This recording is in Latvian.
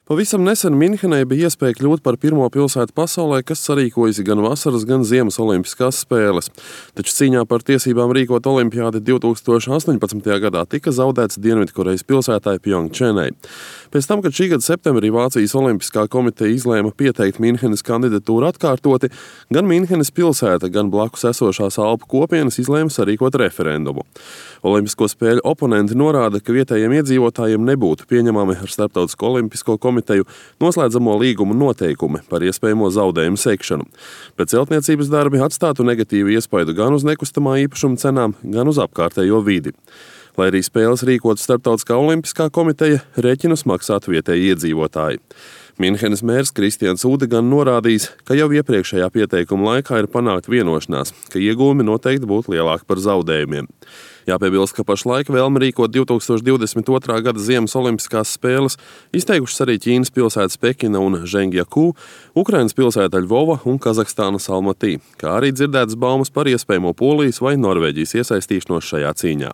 Pavisam nesen Minhenai bija iespēja kļūt par pirmo pilsētu pasaulē, kas sarīkojusi gan vasaras, gan ziemas olimpiskās spēles. Taču cīņā par tiesībām rīkot olimpiādi 2018. gadā tika zaudēts Dienvidkorejas pilsētai Pjongčenai. Pēc tam, kad šī gada septembrī Vācijas olimpiskā komiteja izlēma pieteikt Minhenes kandidatūru atkārtoti, gan Minhenes pilsēta, gan blakus esošās Alpu kopienas izlēma sarīkot referendumu. Olimpisko spēļu oponenti norāda, ka vietējiem iedzīvotājiem nebūtu pieņemami ar Starptautisko olimpisko komiteju noslēdzamo līgumu noteikumi par iespējamo zaudējumu sekšanu. Bet celtniecības darbi atstātu negatīvu iespaidu gan uz nekustamā īpašuma cenām, gan uz apkārtējo vidi. Lai arī spēles rīkotu Starptautiskā olimpiskā komiteja, rēķinus maksātu vietēji iedzīvotāji. Minhenes mērs Kristians Ude gan norādījis, ka jau iepriekšējā pieteikuma laikā ir panākt vienošanās, ka iegūmi noteikti būtu lielāki par zaudējumiem. Jāpiebilst, ka pašlaik vēlmi rīkot 2022. gada ziemas olimpiskās spēles izteikušas arī Ķīnas pilsētas Pekina un Žengjakū, Ukrainas pilsēta Ļvova un Kazahstānas Almatī, kā arī dzirdētas baumas par iespējamo Polijas vai Norvēģijas iesaistīšanos šajā cīņā.